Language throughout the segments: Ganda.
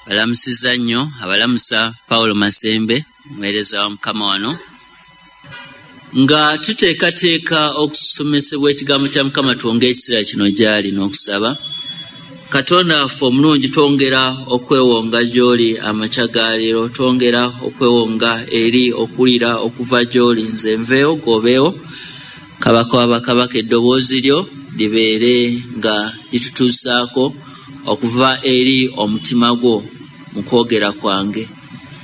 Balamusizza nnyo, abalamusa Paulo Masembe, omuweereza wa Mukama wano. Nga tuteekateeka okusomesebwa ekigambo kya Mukama, twongere ekiseera kino gy'ali n'okusaba. Katonda waffe omulungi, twongera okwewonga gy'oli amakya ga leero, twongera okwewonga eri okuwulira okuva gy'oli. Nze nveewo, g'obeewo, Kabaka wa bakabaka, eddoboozi lyo libeere nga litutuusaako okuva eri omutima gwo mu kwogera kwange.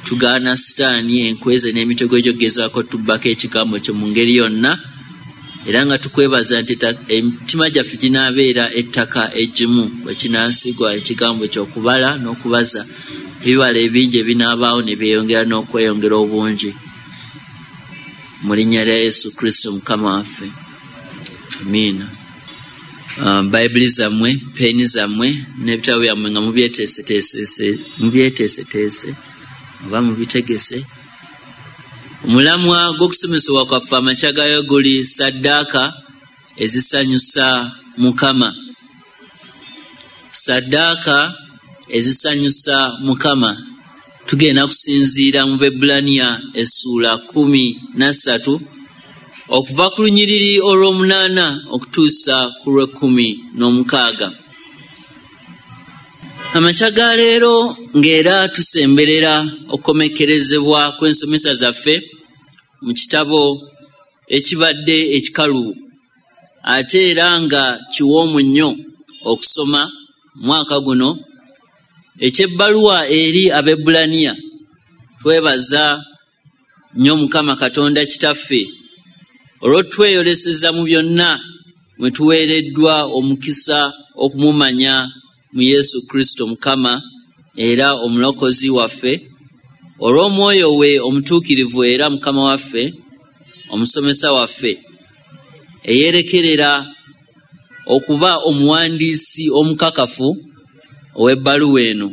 Tugaana Sitaani, enkweze n'emitego egy'okugezaako tubbako ekigambo kyo mu ngeri yonna, era nga tukwebaza nti emitima gyaffe ginaabeera ettaka eggimu bwe kinaasigwa ekigambo kyo okubala n'okubaza ebibala ebingi ebinaabaawo ne byeyongera n'okweyongera obungi. Mu linnya lya Yesu Kristo Mukama waffe, amiina. Bayibuli zammwe, peeni zammwe n'ebitabo byammwe nga mubyeteeseteese oba mubitegese. Omulamwa gw'okusomesebwa kwaffe amakya gayo guli saddaaka ezisanyusa Mukama. Saddaaka ezisanyusa Mukama. Tugenda kusinziira mu Baebbulaniya essuula 13 okuva ku lunyiriri olw'omunaana okutuusa ku lw'ekkumi n'omukaaga. Amakya ga leero ng'era tusemberera okukomekkerezebwa kw'ensomesa zaffe mu kitabo ekibadde ekikalubo ate era nga kiwoomu nnyo okusoma mwaka guno, eky'ebbaluwa eri Abaebbulaniya. Twebaza nnyo Mukama Katonda Kitaffe olw'otweyoleseza mu byonna mwe tuweereddwa omukisa okumumanya mu Yesu Kristo Mukama era Omulokozi waffe, olw'Omwoyo we Omutuukirivu era Mukama waffe, Omusomesa waffe, eyeerekerera okuba omuwandiisi omukakafu ow'ebbaluwa eno.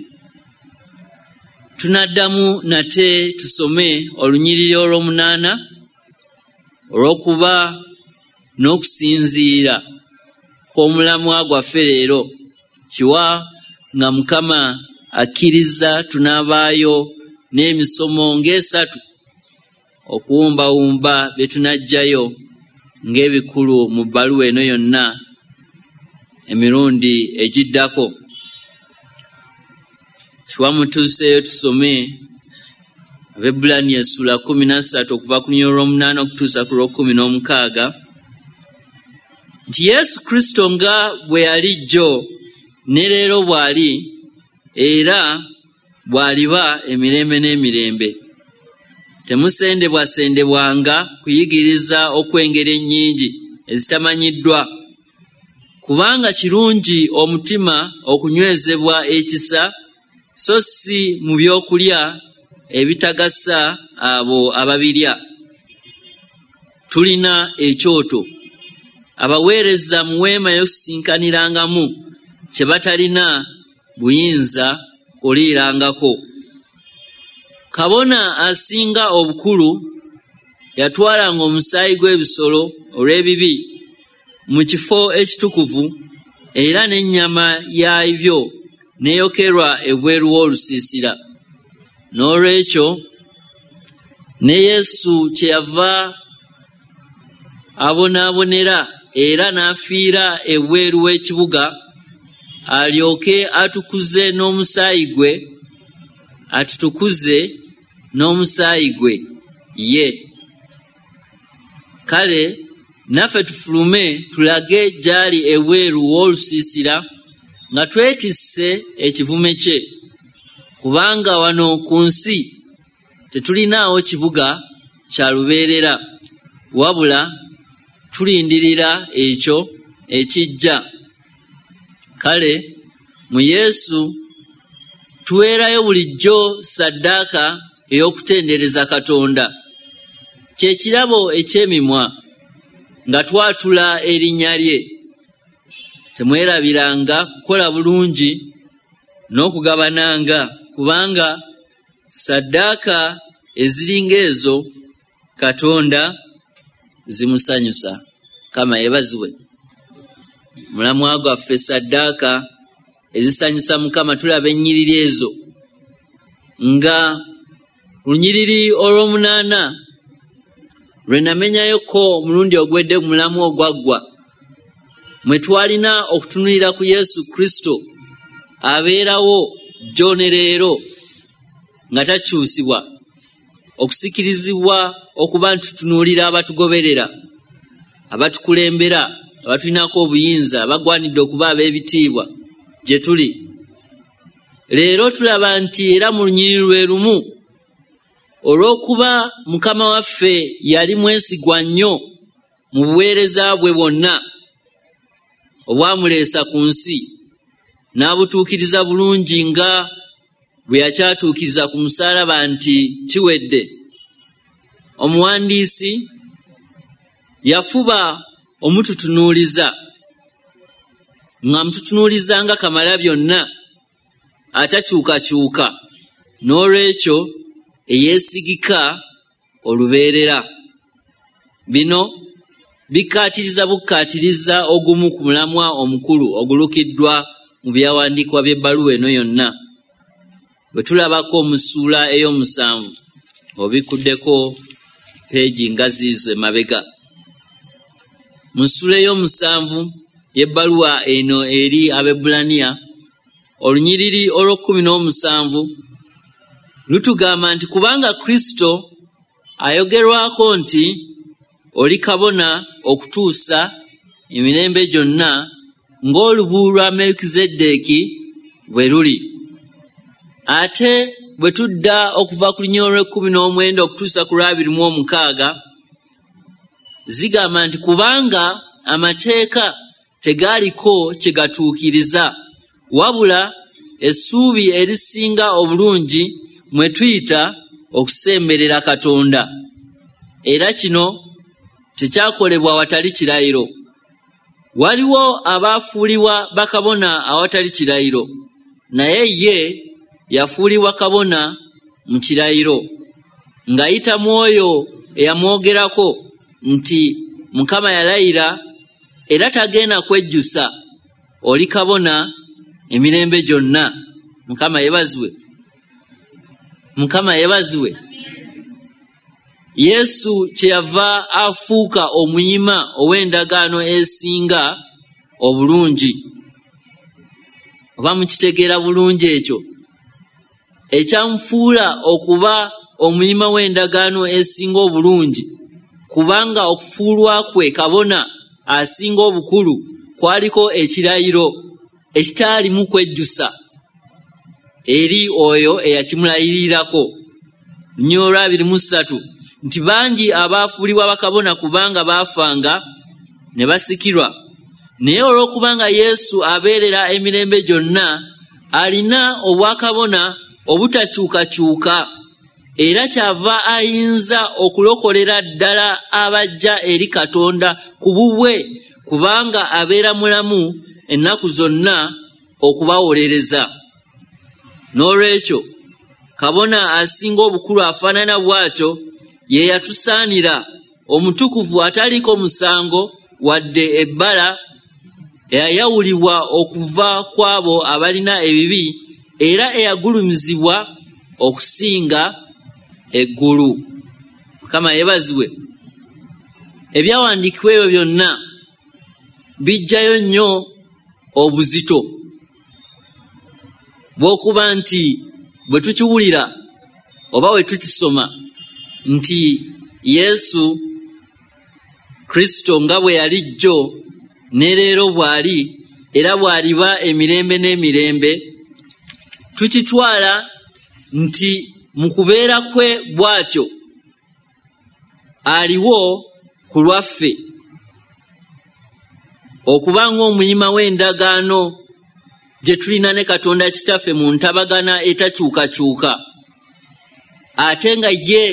Tunaddamu nate tusome olunyiriri olw'omunaana olw'okuba n'okusinziira kw'omulamwa gwaffe leero. Kiwa nga Mukama akkiriza tunaabaayo n'emisomo ng'esatu okuwumbawumba bye tunaggyayo ng'ebikulu mu bbaluwa eno yonna emirundi egiddako. Kiwa mutuuseeyo tusome Abaebbulaniya essuula 13 okuva ku lunyiriri olw'omunaana okutuusa ku lw'ekkumi n'omukaaga, nti Yesu Kristo nga bwe yali jjo ne leero bw'ali era bw'aliba emirembe n'emirembe. Temusendebwasendebwanga kuyigiriza okw'engeri ennyingi ezitamanyiddwa, kubanga kirungi omutima okunywezebwa ekisa, so si mu byokulya ebitagasa abo ababirya. Tulina ekyoto abaweereza mu weema y'okusisinkanirangamu kye batalina buyinza kuliirangako. Kabona asinga obukulu yatwalanga omusaayi gw'ebisolo olw'ebibi mu kifo ekitukuvu, era n'ennyama yaabyo n'eyokerwa ebweru w'olusiisira. N'olwekyo ne Yesu kyeyava abonaabonera era n'afiira ebweru w'ekibuga, alyoke atukuze n'omusaayi gwe, atutukuze n'omusaayi gwe ye. Kale naffe tufulume tulage gy'ali ebweru w'olusiisira nga twetisse ekivume kye, kubanga wano ku nsi tetulinaawo kibuga kya lubeerera, wabula tulindirira ekyo ekijja. Kale mu Yesu tuweerayo bulijjo ssaddaaka ey'okutendereza Katonda, kye kirabo eky'emimwa nga twatula erinnya lye. Temwerabiranga kukola bulungi n'okugabananga, kubanga ssaddaaka eziringa ezo Katonda zimusanyusa. Mukama yeebazibwe. Mulamwa gwaffe ssaddaaka ezisanyusa Mukama. Tulaba ennyiriri ezo Nga lunyiriri olw'omunaana lwe namenyayoko omulundi ogwedde mu mulamu ogwaggwa, mwe twalina okutunuulira ku Yesu Kristo abeerawo jjo ne leero nga takyusibwa, okusikirizibwa okuba nti tutunuulira abatugoberera, abatukulembera, abatulinako obuyinza, abagwanidde okuba ab'ebitiibwa gye tuli. Leero tulaba nti era mu lunyiriri lwe lumu, olw'okuba Mukama waffe yali mwesigwa nnyo mu buweereza bwe bwonna obwamuleesa ku nsi, n'abutuukiriza bulungi nga bwe yakyatuukiriza ku musaalaba nti kiwedde. Omuwandiisi yafuba omututunuuliza, nga mututunuuliza nga kamala byonna atakyukakyuka, n'olwekyo eyeesigika olubeerera. Bino bikkaatiriza bukkaatiriza ogumu ku mulamwa omukulu ogulukiddwa mu byawandiikibwa by'ebbaluwa eno yonna. Bwe tulabako mu ssuula ey'omusanvu, obikkuddeko peegi nga ziizo emabega. Mu ssuula ey'omusanvu y'ebbaluwa eno eri Abaebbulaniya, olunyiriri olw'okkumi n'omusanvu lutugamba nti kubanga Kristo ayogerwako nti oli kabona okutuusa emirembe gyonna ng'olubu lwa Melikizeddeeki bwe luli. Ate bwe tudda okuva ku lunyiriri olw'ekkumi n'omwenda okutuusa ku lw'abiri mu omukaaga, zigamba nti kubanga amateeka tegaaliko kye gatuukiriza, wabula essuubi erisinga obulungi mwe tuyita okusemberera Katonda, era kino tekyakolebwa watali kirayiro. Waliwo abaafuulibwa bakabona awatali kirayiro, naye ye yafuulibwa kabona mu kirayiro, ng'ayita mu oyo eyamwogerako nti Mukama yalayira era tagenda kwejjusa, oli kabona emirembe gyonna. Mukama yeebazibwe, Mukama yeebazibwe. Yesu kyeyava afuuka omuyima ow'endagaano esinga obulungi. Oba mukitegeera bulungi ekyo ekyamufuula okuba omuyima w'endagaano esinga obulungi, kubanga okufuulwa kwe kabona asinga obukulu kwaliko ekirayiro ekitaalimu kwejjusa eri oyo eyakimulayirirako. Lunyiriri olw'abiri mu ssatu nti bangi abaafuulibwa bakabona kubanga baafanga ne basikirwa, naye olw'okubanga Yesu abeerera emirembe gyonna, alina obwakabona obutakyukakyuka, era kyava ayinza okulokolera ddala abajja eri Katonda ku bubwe, kubanga abeera mulamu ennaku zonna okubawolereza. N'olwekyo kabona asinga obukulu afaanana bw'atyo ye yatusaanira, omutukuvu ataliiko musango wadde ebbala, eyayawulibwa okuva ku abo abalina ebibi, era eyagulumizibwa okusinga eggulu. Mukama yeebazibwe. Ebyawandiikibwa ebyo byonna bijjayo nnyo obuzito bw'okuba nti bwe tukiwulira oba bwe tukisoma nti Yesu Kristo nga bwe yali jjo ne leero bw'ali era bw'aliba emirembe n'emirembe, tukitwala nti mu kubeera kwe bw'atyo aliwo ku lwaffe okuba ng'omuyima w'endagaano gye tulina ne Katonda Kitaffe mu ntabagana etakyukakyuka, ate nga ye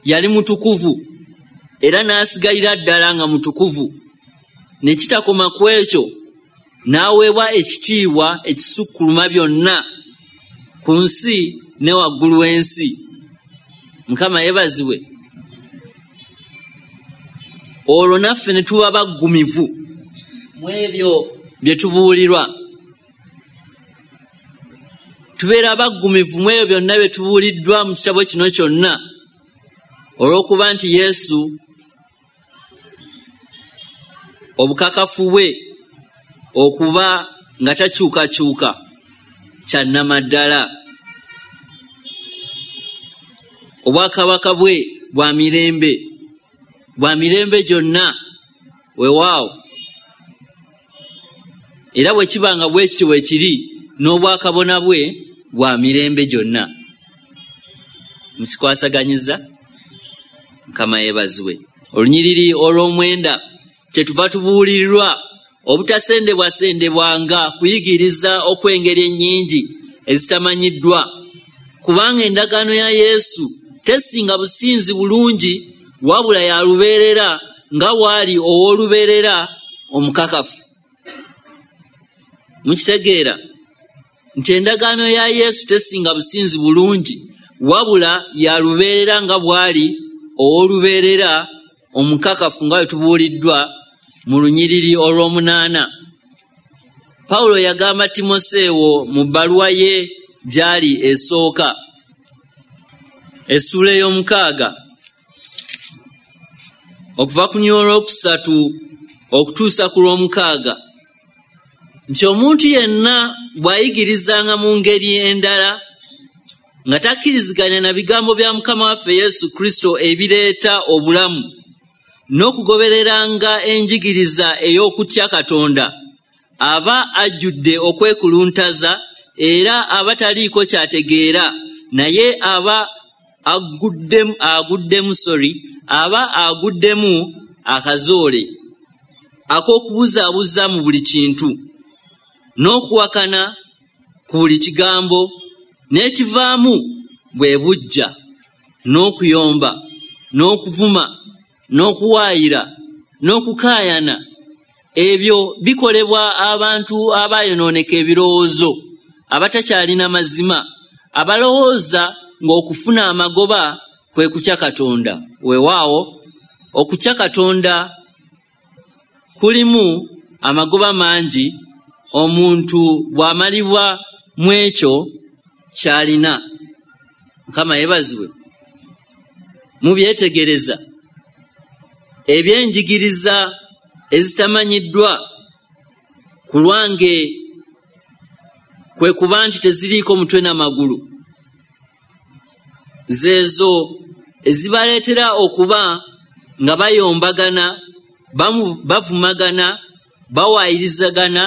yali mutukuvu era n'asigalira ddala nga mutukuvu, ne kitakoma ku ekyo, n'aweebwa ekitiibwa ekisukkuluma byonna ku nsi ne waggulu w'ensi. Mukama yeebazibwe. Olwo naffe ne tuba baggumivu mu ebyo bye tubuulirwa. Tubeera abaggumivu mu ebyo byonna bye tubuuliddwa mu kitabo kino kyonna, olw'okuba nti Yesu obukakafu bwe okuba nga takyukakyuka kya nnamaddala. Obwakabaka bwe bwa mirembe, bwa mirembe gyonna. Weewaawo, era bwe kiba nga bwe kityo bwe kiri, n'obwakabona bwe bwa mirembe gyonna. Mukikwasaganyiza? Mukama yeebazibwe. Olunyiriri olw'omwenda, kyetuva tubuulirirwa obutasendebwasendebwanga kuyigiriza okw'engeri ennyingi ezitamanyiddwa, kubanga endagaano ya Yesu tesinga businzi bulungi, wabula ya lubeerera nga bw'ali ow'olubeerera omukakafu. Mukitegeera nti endagaano ya Yesu tesinga businzi bulungi, wabula ya lubeerera nga bw'ali ow'olubeerera omukakafu, nga bwe tubuuliddwa mu lunyiriri olw'omunaana. Pawulo yagamba Timoseewo mu bbaluwa ye gy'ali esooka, essuula ey'omukaaga, okuva ku lunyiriri olwokusatu okutuusa ku lw'omukaaga, nti omuntu yenna bw'ayigirizanga mu ngeri endala nga takkiriziganya na bigambo bya Mukama waffe Yesu Kristo ebireeta obulamu, n'okugobereranga enjigiriza ey'okutya Katonda, aba ajjudde okwekuluntaza era aba taliiko ky'ategeera, naye aba aguddemu akazoole ak'okubuzaabuza mu buli kintu, n'okuwakana ku buli kigambo, n'ekivaamu bwe buggya, n'okuyomba, n'okuvuma, n'okuwaayira, n'okukaayana. Ebyo bikolebwa abantu abayonooneka ebirowoozo, abatakyalina mazima, abalowooza ng'okufuna amagoba kwe kutya Katonda. Weewaawo, okutya Katonda kulimu amagoba mangi omuntu bw'amalibwa mu ekyo ky'alina. Mukama yeebazibwe. Mubyetegereza ebyenjigiriza ezitamanyiddwa ku lwange kwe kuba nti teziriiko mutwe n'amagulu, zeezo ezibaleetera okuba nga bayombagana, bavumagana, bawaayirizagana,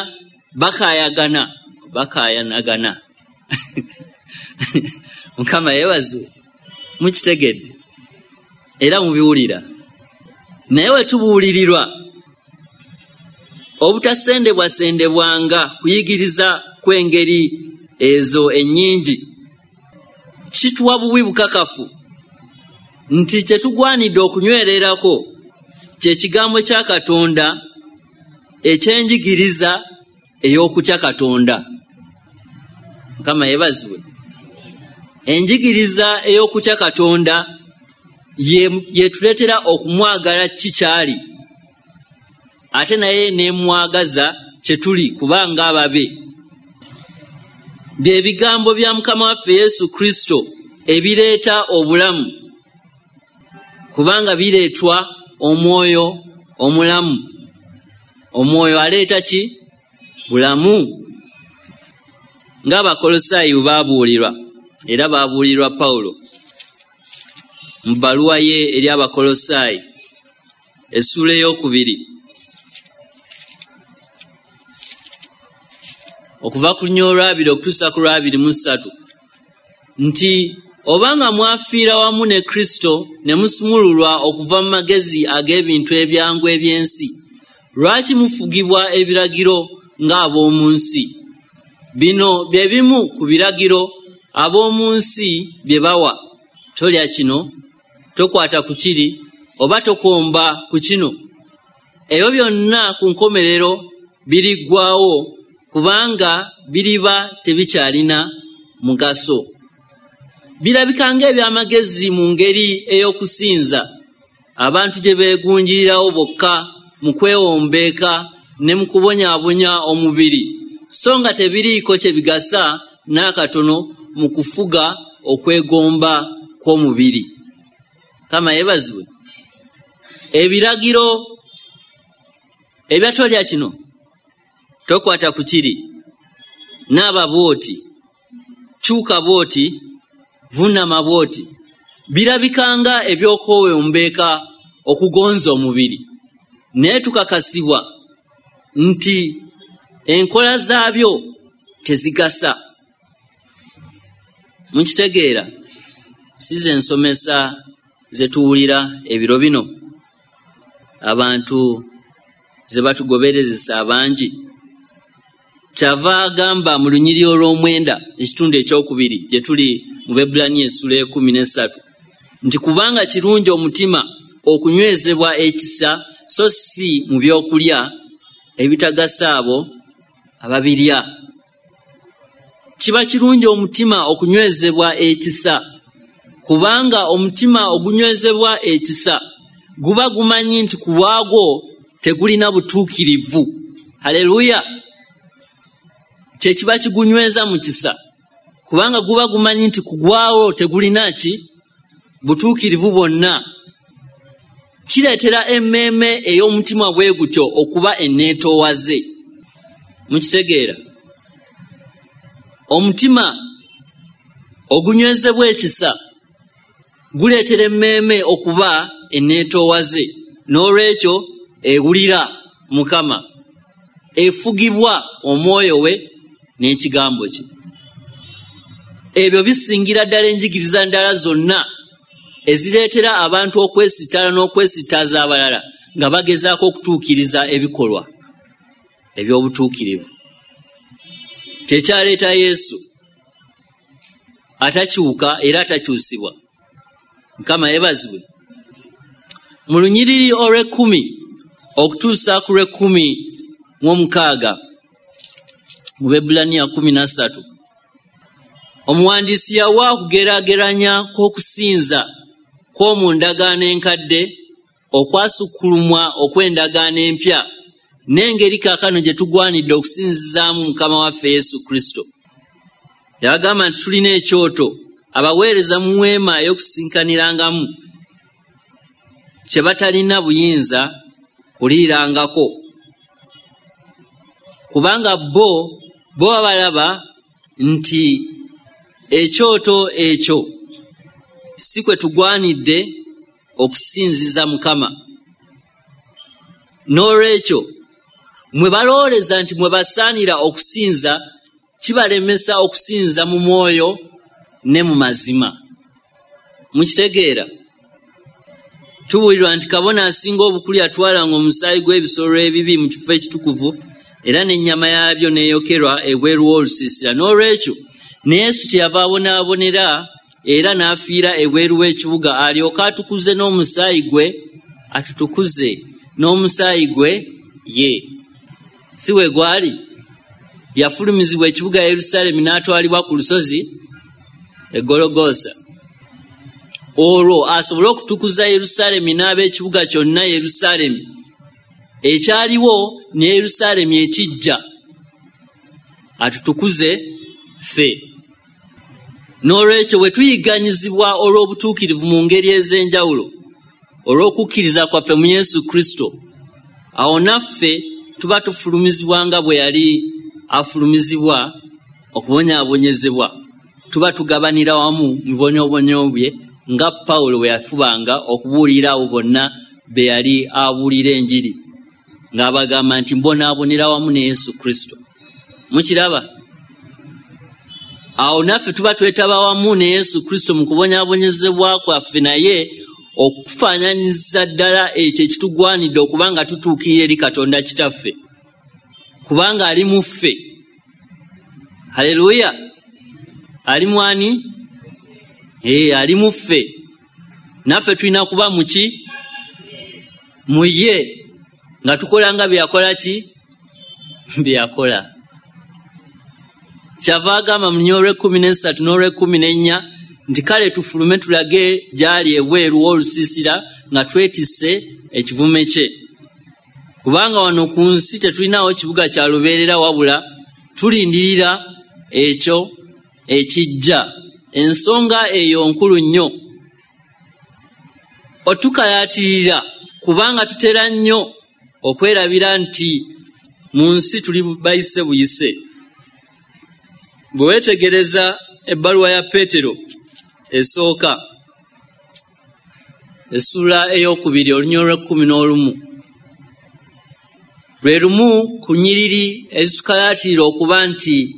bakaayanagana. Mukama yeebazibwe. Mukitegedde era mubiwulira. Naye we tubuulirirwa obutasendebwasendebwanga kuyigiriza kw'engeri ezo ennyingi, kituwa buwi bukakafu nti kye tugwanidde okunywererako kye kigambo kya Katonda ekyenjigiriza ey'okutya Katonda. Mukama yeebazibwe. Enjigiriza ey'okutya Katonda yetuleetera okumwagala kikyali, ate naye n'emwagaza kye tuli kubanga ababe. Bye bigambo bya Mukama waffe Yesu Kristo ebireeta obulamu, kubanga bireetwa omwoyo omulamu. Omwoyo aleeta ki? Bulamu. Ng'Abakolosaayi bwe baabuulirwa, era baabuulirwa Pawulo mu bbaluwa ye eri Abakolosaayi essuula 2, okuva ku lunyiriri 2 okutuusa ku 23, nti obanga mwafiira wamu ne Kristo ne musumululwa okuva mu magezi ag'ebintu ebyangu eby'ensi, lwaki mufugibwa ebiragiro ng'ab'omu nsi? Bino bye bimu ku biragiro ab'omu nsi bye bawa: tolya kino, tokwata ku kiri, oba tokomba ku kino. Ebyo byonna ku nkomerero biriggwaawo, kubanga biriba tebikyalina mugaso. Birabika ng'ebyamagezi mu ngeri ey'okusinza, abantu gye beegunjirirawo bokka mu kwewombeeka ne mu kubonyaabonya omubiri, so nga tebiriiko kye bigasa n'akatono mu kufuga okwegomba kw'omubiri. Kama yeebazibwe. Ebiragiro ebyatolya kino, tokwata ku kiri, naaba bw'oti, kyuka bw'oti, vunnama bw'oti, birabikanga eby'okwewombeeka okugonza omubiri, naye tukakasibwa nti enkola zaabyo tezigasa. Mukitegeera, si ze nsomesa ze tuwulira ebiro bino abantu ze batugoberezesa abangi. Kyava agamba mu lunyiriri olw'omwenda ekitundu ekyokubiri gye tuli mu Baebbulaniya essula 13 nti kubanga kirungi omutima okunywezebwa ekisa so si mu byokulya ebitagasa abo ababirya. Kiba kirungi omutima okunywezebwa ekisa, kubanga omutima ogunywezebwa ekisa guba gumanyi nti ku bwagwo tegulina butuukirivu. Haleluya! Kye kiba kigunyweza mu kisa, kubanga guba gumanyi nti ku gwawo tegulina ki butuukirivu bwonna. Kireetera emmeeme ey'omutima bwe gutyo okuba enneetoowaze. Mukitegeera? Omutima ogunywezebwa ekisa guleetera emmeeme okuba enneetoowaze, n'olwekyo ewulira Mukama, efugibwa omwoyo we n'ekigambo kye. Ebyo bisingira ddala enjigiriza ndala zonna ezireetera abantu okwesittala n'okwesittaza abalala nga bagezaako okutuukiriza ebikolwa eby'obutuukirivu. Kyekyaleeta Yesu atakyuka era atakyusibwa. Mukama yeebazibwe. Mu lunyiriri olw'ekkumi okutuusa ku lw'ekkumi mu 16 mu Baebbulaniya 13, omuwandiisi yawa okugeraageranya kw'okusinza kw'omu ndagaano enkadde okwasukkulumwa okw'endagaano empya n'engeri kaakano gye tugwanidde okusinzizaamu Mukama waffe Yesu Kristo. Yagamba nti tulina ekyoto abaweereza mu weema ey'okusinkanirangamu kye batalina buyinza kuliirangako, kubanga bo babalaba nti ekyoto ekyo si kwe tugwanidde okusinziza Mukama. N'olwekyo mwe balowooleza nti mwe basaanira okusinza, kibalemesa okusinza mu mwoyo ne mu mazima. Mukitegeera? Tubuulirwa nti kabona asinga obukulu yatwalanga omusaayi gw'ebisolo ebibi mu kifo ekitukuvu era n'ennyama yaabyo n'eyokerwa ebweru w'olusiisira. N'olwekyo ne Yesu kyeyava abonaabonera era n'afiira ebweru w'ekibuga, alyoke atukuze n'omusaayi gwe, atutukuze n'omusaayi gwe ye. Si we gwali? Yafulumizibwa ekibuga Yerusaalemi n'atwalibwa ku lusozi e Gologoosa, olwo asobole okutukuza Yerusaalemi n'ab'ekibuga kyonna Yerusaalemi ekyaliwo ne Yerusaalemi ekijja, atutukuze ffe. N'olwekyo bwe tuyigganyizibwa olw'obutuukirivu mu ngeri ez'enjawulo olw'okukkiriza kwaffe mu Yesu Kristo, awo naffe tuba tufulumizibwa nga bwe yali afulumizibwa okubonyaabonyezebwa. Tuba tugabanira wamu mu bibonyoobonyo bye nga Pawulo bwe yafubanga okubuulira abo bonna be yali abuulira enjiri, ng'abagamba nti mbonaabonera wamu ne Yesu Kristo. Mukiraba? Awo naffe tuba twetaba wamu ne Yesu Kristo mu kubonyaabonyezebwa kwaffe naye okufaananyiza ddala ekyo ekitugwanidde okuba nga tutuukirira eri Katonda Kitaffe, kubanga ali mu ffe. Haleluya! Ali mwani? Ali mu ffe. Naffe tulina kuba mu ki? Mu ye, nga tukola nga bye yakola ki? Bye yakola. Kyava agamba mu lunyiriri olw'ekkumi n'essatu n'olw'ekkumi n'ennya nti kale tufulume tulage gy'ali ebweru w'olusiisira nga twetisse ekivume kye, kubanga wano ku nsi tetulinaawo kibuga kya lubeerera, wabula tulindirira ekyo ekijja. Ensonga eyo nkulu nnyo otukayaatirira, kubanga tutera nnyo okwerabira nti mu nsi tuli bayise buyise. Bwe weetegereza ebbaluwa ya Peetero esooka essula 2 olunyiriri 11, lwe lumu ku nnyiriri ezitukayaatirira okuba nti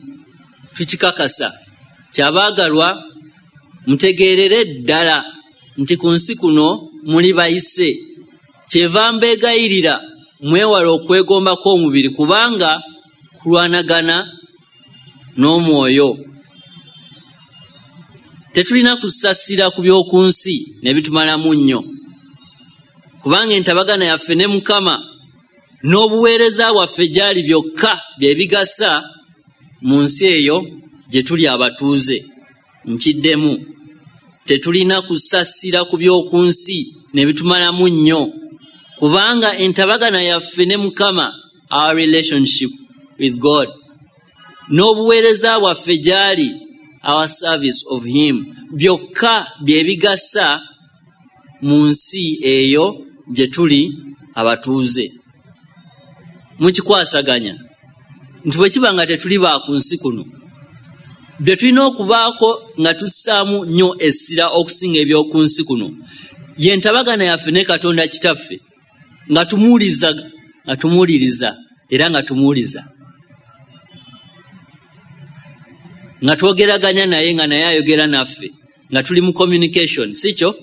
tukikakasa. Kyabaagalwa mutegeerere ddala nti ku nsi kuno muli bayise, kyeva mbeegayirira mwewale okwegomba kw'omubiri, kubanga kulwanagana n'omwoyo. Tetulina kusasira ku by'oku nsi ne bitumalamu nnyo, kubanga entabagana yaffe ne Mukama n'obuweereza bwaffe gy'ali byokka bye bigasa mu nsi eyo gye tuli abatuuze. Nkiddemu, tetulina kusasira ku by'oku nsi ne bitumalamu nnyo, kubanga entabagana yaffe ne Mukama, our relationship with God, n'obuweereza bwaffe gy'ali, our service of him, byokka bye bigasa mu nsi eyo gye tuli abatuuze. Mukikwasaganya nti bwe kiba nga tetuli ba ku nsi kuno, bye tulina okubaako nga tussaamu nnyo essira okusinga eby'oku nsi kuno ye ntabagana yaffe ne Katonda Kitaffe, nga tumuwuliriza era nga tumuwuliza, nga twogeraganya naye nga naye ayogera naffe, nga tuli mu communication, si kyo?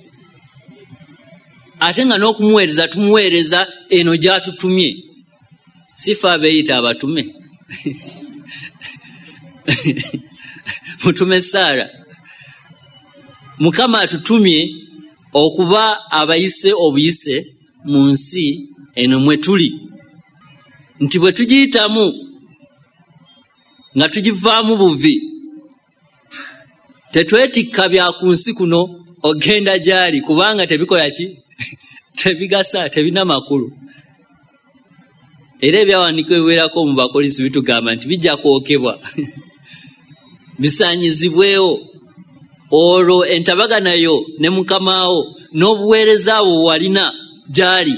Ate nga n'okumuweereza tumuweereza eno gy'atutumye, si ffe abeeyita abatume. Mutume Saara, Mukama atutumye okuba abayise obuyise mu nsi eno mwe tuli, nti bwe tugiyitamu nga tugivaamu buvi, tetwetikka bya ku nsi kuno ogenda gy'ali, kubanga tebikola ki? Tebigasa, tebina makulu. Era ebyawandiikibwa ebiwerako mu Bakolinso bitugamba nti bijja kwokebwa bisaanyizibwewo, olwo entabagana yo ne Mukamaawo n'obuweereza bwo walina gy'ali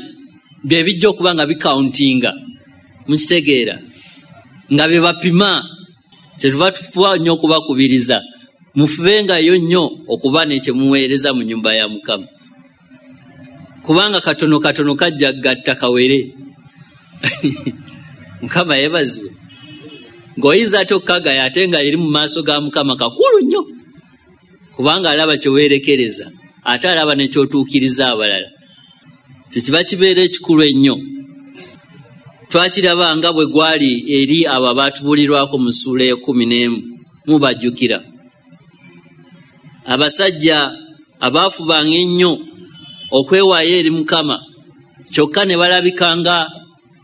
bye bijja okuba nga bikauntinga. Mukitegeera? Nga bye bapima. Kyetuva tufuba nnyo okubakubiriza mufubengayo nnyo okuba ne kye muweereza mu nnyumba ya Mukama, kubanga katono katono kajja gatta kawere. Mukama yeebazibwe. Ng'oyinza ate okukagaya ate nga eri mu maaso ga Mukama kakulu nnyo, kubanga alaba kye weerekereza, ate alaba ne ky'otuukiriza abalala. Kyekiba kibeera ekikulu ennyo. Twakiraba nga bwe gwali eri abo abaatubulirwako mu ssuula 11, mubajjukira. Abasajja abaafubanga ennyo okwewaayo eri Mukama, kyokka ne balabika nga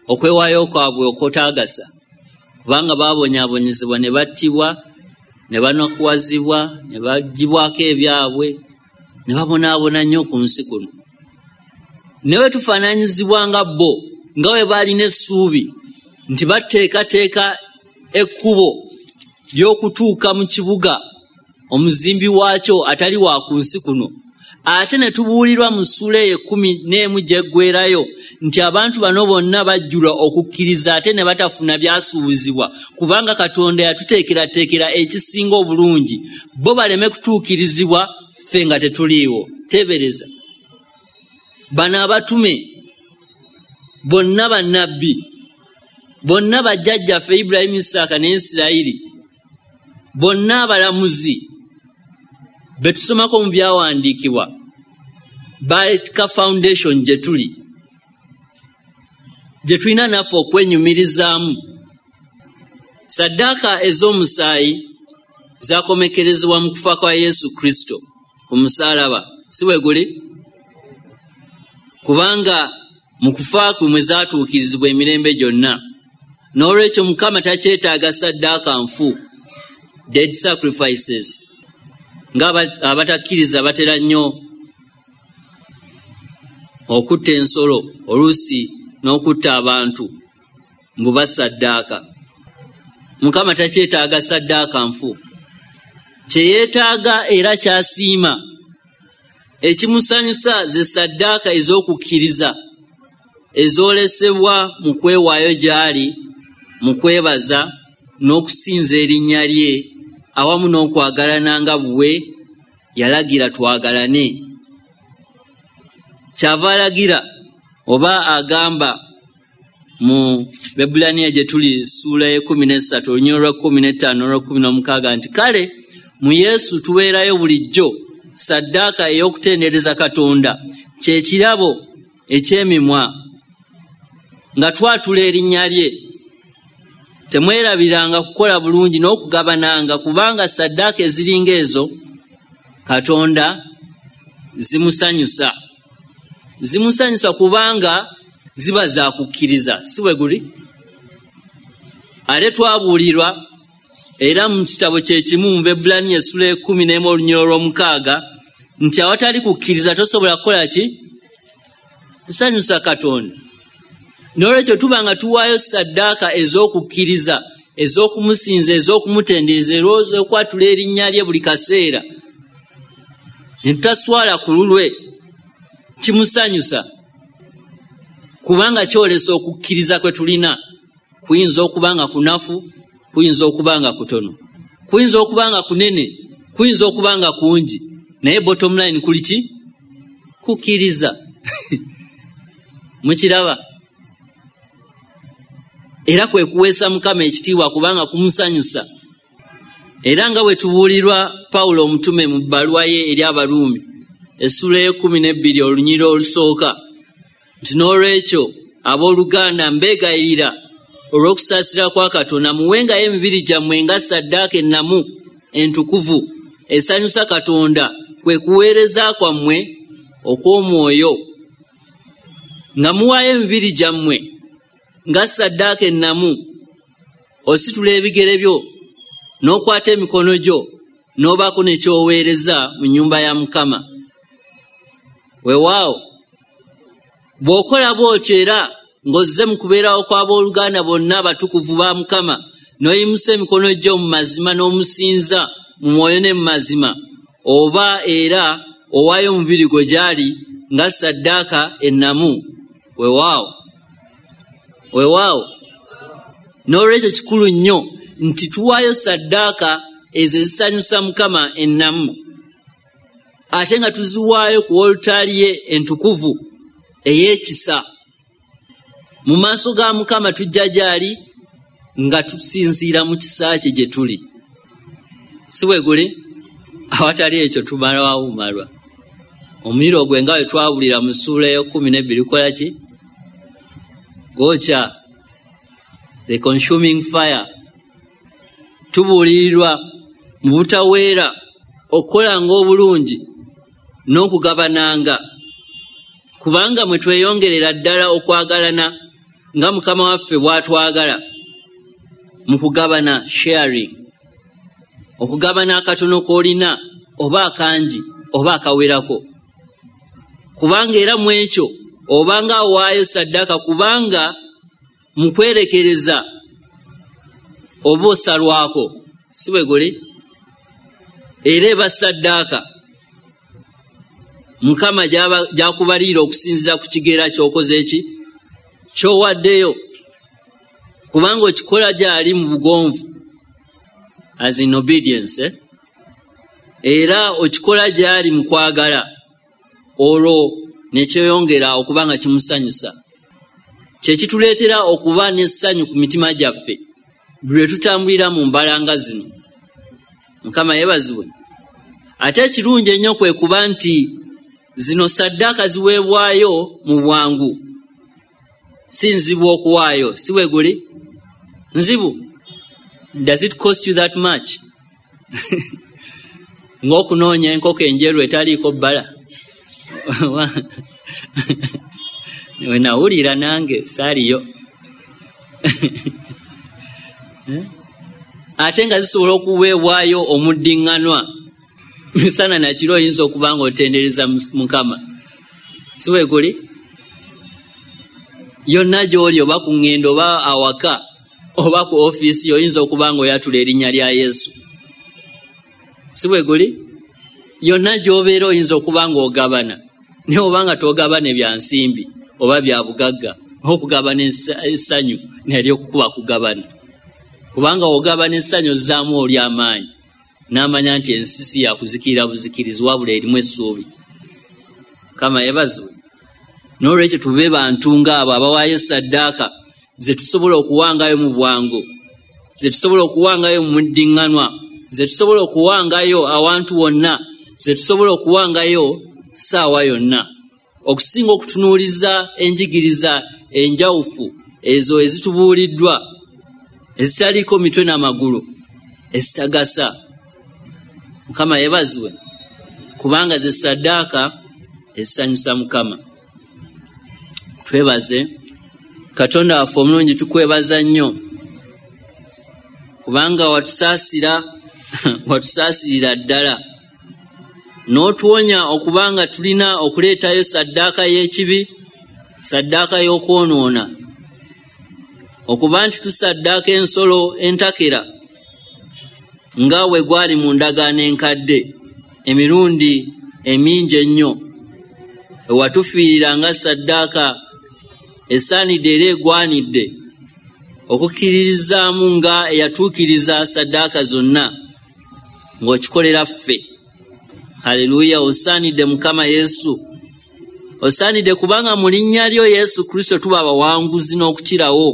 okwewaayo kwabwe okutaagasa, kubanga baabonyaabonyezebwa ne battibwa, ne banakuwazibwa, ne baggyibwako ebyabwe, ne babonaabona nnyo ku nsi kuno. Ne bwe tufaananyizibwa nga bo, nga bwe baalina essuubi nti bateekateeka ekkubo ly'okutuuka mu kibuga omuzimbi waakyo atali wa ku nsi kuno, ate ne tubuulirwa mu ssuula eyo 11 gy'eggweerayo nti abantu bano bonna bajjulwa okukkiriza ate ne batafuna byasuubizibwa, kubanga Katonda yatuteekerateekera ekisinga obulungi, bo baleme kutuukirizibwa ffe nga tetuliiwo. Teebereza bano abatume bonna bannabbi, bonna bajjajjaffe Ibulayimu, Isaaka ne Isirayiri, bonna abalamuzi be tusomako mu byawandiikibwa, baleka foundation gye tuli, gye tulina naffe okwenyumirizaamu. Saddaaka ez'omusaayi zakomekerezebwa mu kufa kwa Yesu Kristo ku musaalaba, si bwe guli? Kubanga mu kufa kwe mwe zaatuukirizibwa emirembe gyonna. N'olwekyo Mukama takyetaaga saddaaka nfu, dead sacrifices, nga abatakkiriza batera nnyo okutta ensolo, oluusi n'okutta abantu mbu basaddaaka. Mukama takyetaaga saddaaka nfu. Kye yeetaaga era ky'asiima, ekimusanyusa ze ssaddaaka ez'okukkiriza ezoolesebwa mu kwewaayo gy'ali, mu kwebaza n'okusinza erinnya lye, awamu n'okwagalana nga bwe yalagira twagalane. Kyava alagira oba agamba mu Baebbulaniya gye tuli ssuula y'e13 olunyiriri lwa 15 n'olwa 16 nti kale mu Yesu tuweerayo bulijjo ssaddaaka ey'okutendereza Katonda, kye kirabo eky'emimwa nga twatula erinnya lye. Temwerabiranga kukola bulungi n'okugabananga, kubanga ssaddaaka eziringa ezo Katonda zimusanyusa. Zimusanyusa kubanga ziba za kukkiriza, si bwe guli? Ate twabuulirwa era mu kitabo kye kimu mu Baebbulaniya essula 11 olunyiriri olw'omukaaga nti awatali kukkiriza tosobola kukola ki? Kusanyusa Katonda. N'olwekyo tuba nga tuwaayo ssaddaaka ez'okukkiriza, ez'okumusinza, ez'okumutendereza, ez'okwatula erinnya lye buli kaseera, ne tutaswala ku lulwe, kimusanyusa kubanga kyolesa okukkiriza kwe tulina. Kuyinza okuba nga kunafu, kuyinza okuba nga kutono, kuyinza okuba nga kunene, kuyinza okuba nga kungi, naye bottom line kuli ki? Kukkiriza. Mukiraba? Era kwe kuweesa Mukama ekitiibwa kubanga kumusanyusa. Era nga bwe tubuulirwa Pawulo omutume mu bbaluwa ye eri Abaruumi essula 12 olunyiriri olusooka nti n'olwekyo abooluganda mbeegayirira olw'okusaasira kwa Katonda muwengayo emibiri gyammwe nga ssaddaaka ennamu entukuvu esanyusa Katonda, kwe kuweereza kwammwe okw'omwoyo. Nga muwaayo emibiri gyammwe nga ssaddaaka ennamu, ositula ebigere byo n'okwata emikono gyo n'obaako ne ky'oweereza mu nnyumba ya Mukama. Weewaawo bw'okola bw'otyo era ng'ozze mu kubeerawo kw'abooluganda bonna abatukuvu ba Mukama, n'oyimusa emikono gyo mu mazima n'omusinza mu mwoyo ne mu mazima, oba era owaayo omubiri gwo gy'ali nga ssaddaaka ennamu. Weewaawo, weewaawo. N'olwekyo kikulu nnyo nti tuwaayo ssaddaaka ezo ezisanyusa Mukama ennamu, ate nga tuziwaayo ku wolutaali ye entukuvu ey'ekisa. Mu maaso ga Mukama tujja gy'ali nga tusinziira mu kisa kye gye tuli, si bwe guli? Awatali ekyo tumalwawo bumalwa. Omuliro gwe nga bwe twabulira mu ssuula 12 gukola ki? Gwokya, the consuming fire. Tubuulirirwa mu butaweera okukolanga obulungi n'okugabananga, kubanga mwe tweyongerera ddala okwagalana nga Mukama waffe bw'atwagala. Mu kugabana, sharing, okugabana akatono k'olina oba akangi oba akawerako, kubanga era mu ekyo obanga awaayo ssaddaaka, kubanga mu kwerekereza oba osalwako, si bwe guli? Era eba ssaddaaka Mukama gy'akubaliira okusinziira ku kigera ky'okoze ki ky'owaddeyo, kubanga okikola gy'ali mu bugonvu, as in obedience, eh? Era okikola gy'ali mu kwagala, olwo ne kyeyongera okuba nga kimusanyusa. Kye kituleetera okuba n'essanyu ku mitima gyaffe buli lwe tutambulira mu mbalanga zino. Mukama yeebazibwe. Ate ekirungi ennyo kwe kuba nti zino ssaddaaka ziweebwayo mu bwangu, si nzibu okuwaayo, si bwe guli? Nzibu? Does it cost you that much? Ng'okunoonya enkoko enjeru etaliiko bbala. We nawulira nange saaliyo. Ate nga zisobola okuweebwayo omuddiŋŋanwa misana nakiro, oyinza okuba nga otendereza Mukama, si bwe guli? Yonna gy'oli, oba ku ŋŋendo oba awaka oba ku ofiisi, oyinza okuba nga oyatula erinnya lya Yesu, Si bwe guli? Yonna gy'obeera oyinza okuba ng'ogabana, naye oba nga togabana bya nsimbi oba bya bugagga, okugabana essanyu nalyo kuba kugabana, kubanga ogabana essanyu ozzaamu oli amaanyi n'amanya nti ensi si ya kuzikirira buzikirizi, wabula erimu essuubi. Mukama yeebazibwe. N'olwekyo tube bantu ng'abo abawaayo saddaaka ze tusobola okuwangayo mu bwangu, ze tusobola okuwangayo mu muddiŋŋanwa, ze tusobola okuwangayo awantu wonna, ze tusobola okuwangayo ssaawa yonna, okusinga okutunuuliza enjigiriza enjawufu ezo ezitubuuliddwa, ezitaliiko mitwe n'amagulu, ezitagasa. Mukama yeebazibwe, kubanga ze saddaaka ezisanyusa Mukama. Twebaze Katonda waffe omulungi, tukwebaza nnyo kubanga watusaasira, watusaasirira ddala n'otuwonya okubanga tulina okuleetayo saddaaka y'ekibi, saddaaka y'okwonoona, okuba nti tusaddaaka ensolo entakera nga bwe gwali mu ndagaano enkadde emirundi emingi ennyo. Ewatufiirira nga saddaaka esaanidde era egwanidde okukkiririzaamu nga eyatuukiriza saddaaka zonna ng'okikolera ffe. Haleluya! Osaanidde Mukama Yesu, osaanidde kubanga mu linnya lyo Yesu Kristo tuba abawanguzi n'okukirawo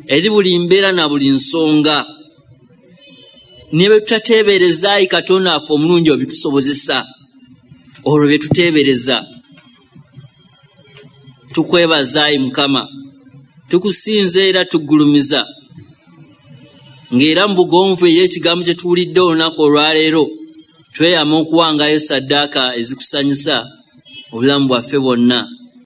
eri buli mbeera na buli nsonga. Ne bwe tutateebereza, ayi Katonda waffe omulungi, obitusobozesa olwo bye tuteebereza. Tukwebaza ayi Mukama, tukusinza era tuggulumiza, ng'era mu bugonvu eri ekigambo kye tuwulidde olunaku olwaleero, tweyama okuwangayo saddaaka ezikusanyusa obulamu bwaffe bwonna.